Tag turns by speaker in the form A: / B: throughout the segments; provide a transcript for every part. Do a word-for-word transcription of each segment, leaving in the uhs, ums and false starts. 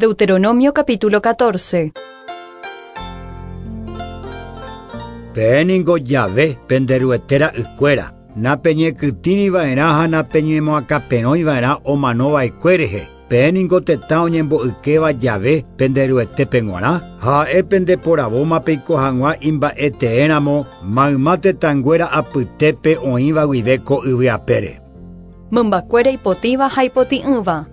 A: Deuteronomio capítulo catorce.
B: Peẽ ningo Yahvé pende Ruete ra'ykuéra, napeñekytĩriva'erã ha napeñemoakãperõiva'erã omanova'ekue rehe. Peẽ ningo tetã oñemboykéva Yahvé pende Ruetépe g̃uarã, ha ha'e pendeporavóma peiko hag̃ua imba'eteéramo mayma tetãnguéra apytépe oĩva guive ko yvy apére.
A: Mymbakuéra ipotĩva ha ipotĩ'ỹva.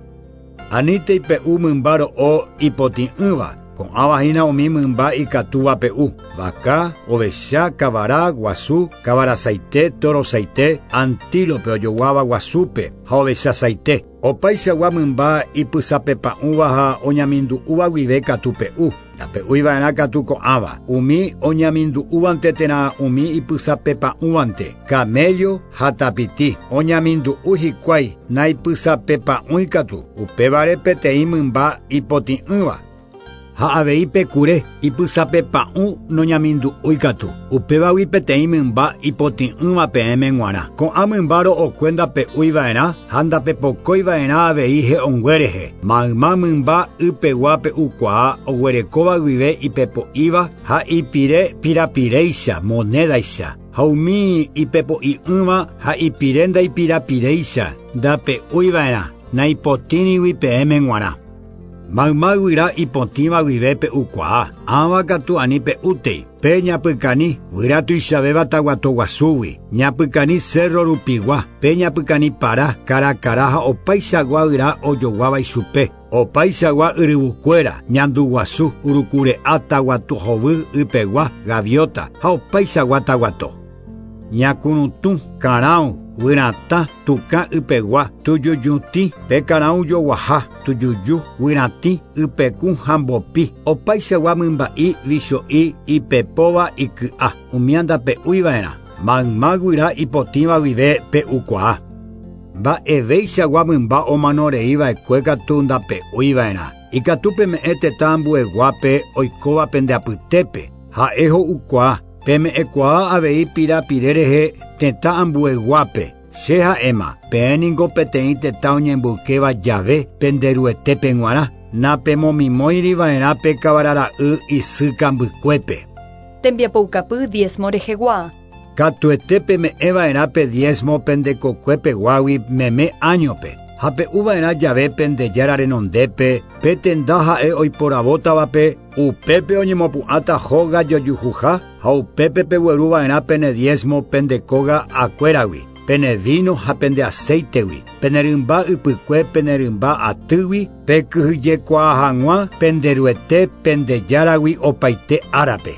B: Anítei pe'u mymba ro'o ipotĩ'ỹva, ko'ãva hína umi mymba ikatúva pe'u, vaka, ovecha, kavara, guasu, kavarasaite, torosaite, antílope ojoguáva guasúpe ha ovechasaite. Opaichagua mymba ipysapepa'ũva ha oñamindu'úva guive katu pe'u. Ndape'uiva'erã katu ko'ãva, umi oñamindu'úvante térã umi ipysapepa'ũvante, camello ha tapiti, oñamindu'u hikuái naipysapepa'ũi katu, upévare peteĩ mymba ipotĩ'ỹva. Ha avei pekure ipysapepa'ũ noñamindu'úi katu, upévagui peteĩ mymba ipotĩ'ỹva peẽme g̃uarã. Ko'ã mymba ro'okue ndape'uiva'erã ha ndapepokóiva'erã avei he'õngue rehe. Mayma mymba ypegua pe'ukuaa oguerekóva guive ipepo'íva ha ipire pirapiréicha monédaicha. Ha umi ipepo'i'ỹva ha ipire ndaipirapiréicha ndape'uiva'erã naipotĩrigui peẽme g̃uarã. Mayma guyra ipotĩva guive pe'ukuaa, ãva katu ani pe'útei. Pe ñapykani guyra tuichavéva taguatoguasúgui, ñapykani cerro rupigua, pe ñapykani para, karakara ha opaichagua guyra ojoguáva ichupe. Opaichagua yryvukuéra, ñanduguasu, urukure'a taguatuhovy ypegua, gaviota ha opaichagua taguato. Ñakurutũ, karão, guyratã, tukã ypegua, tujujutĩ, pe karão joguaha, tujuju, guyratĩ, ypekũ ha mbopi, opaichagua mymba'i vicho'i ipepóva iky'a, umi ndape'uiva'erã. Mayma guyra ipotĩva guive pe'ukuaa. Mba'eveichagua mymba omanoreiva'ekue katu ndape'uiva'erã. Ikatu peme'ẽ tetã ambueguápe oikóva pende apytépe, ha'e ho'ukuaa. Peme'ẽkuaa avei pirapire rehe tetã ambueguápe. Che ha'éma, peẽ ningo peteĩ tetã oñemboykéva Yahvé pende Ruetépe g̃uarã, napemomimóiriva'erã pe kavarara'y isy kambykuépe.
A: Tembiapoukapy diezmo rehegua.
B: Katuete peme'ẽva'erã pe diezmo pendekokuepeguágui meme áñope. Ha pe'uva'erã jave pende Jára renondépe, pe tenda ha'e oiporavótavape, upépe oñemopu'ãta hóga jojuhuha ha upépe pegueruva'erã pene diezmo pende kóga akuéragui, pene vino ha pende aceitegui, pene rymba ypykue pene rymba atýgui, pekyhyjekuaa hag̃ua pende Ruete pende Járagui opaite árape.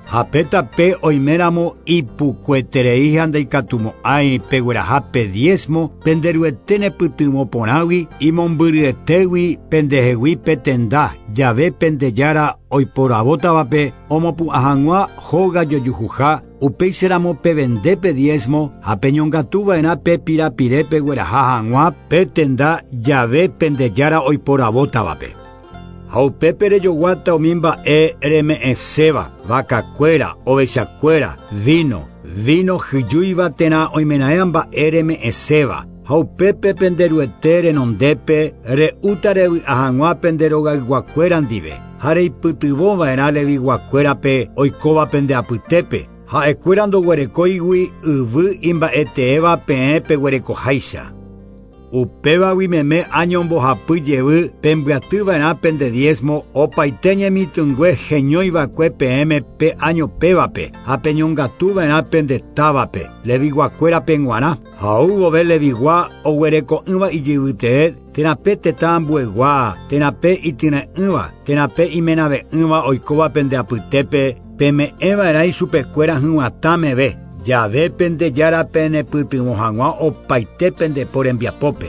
B: Ha pe tape oiméramo ipukueterei ha ndaikatumo'ãi pegueraha pe diezmo pende Ruete nepytyvõporãgui imombyryetégui pendehegui pe tenda jave pende Jára oiporavótavape omopu'ã hag̃ua hóga jojuhuha, upéicharamo pevende pe diezmo ha peñongatuva'erã pe pirapire pegueraha hag̃ua pe tenda jave pende Jára oiporavótavape. Ha upépe rejoguáta umi mba'e reme'ẽséva, vakakuéra, ovechakuéra, vino, vino hyjúiva térã oimeraẽ mba'e reme'ẽséva. Ha upépe pende Ruete renondépe re'úta revy'a hag̃ua pende rogayguakuéra ndive, ha reipytyvõva'erã leviguakuérape oikóva pende apytépe, ha'ekuéra ndoguerekóigui yvy imba'eteéva peẽ peguerekoháicha. Upévagui meme año mbohapy jevy pembyatyva'erã pende diezmo opaite ñemitỹngue heñóiva'ekue peẽme pe año pévape ha peñongatuva'erã pende távape leviguakuérape g̃uarã. Ha ou vove levigua oguereko'ỹva ijyvytee térã pe tetã ambuegua, térã pe ityre'ỹva, térã pe imenave'ỹva oikóva pende apytépe, peme'ẽva'erã ichupekuéra hyg̃uatã meve. Jave pende Jára penepytyvõ hag̃ua opaite pende po rembiapópe.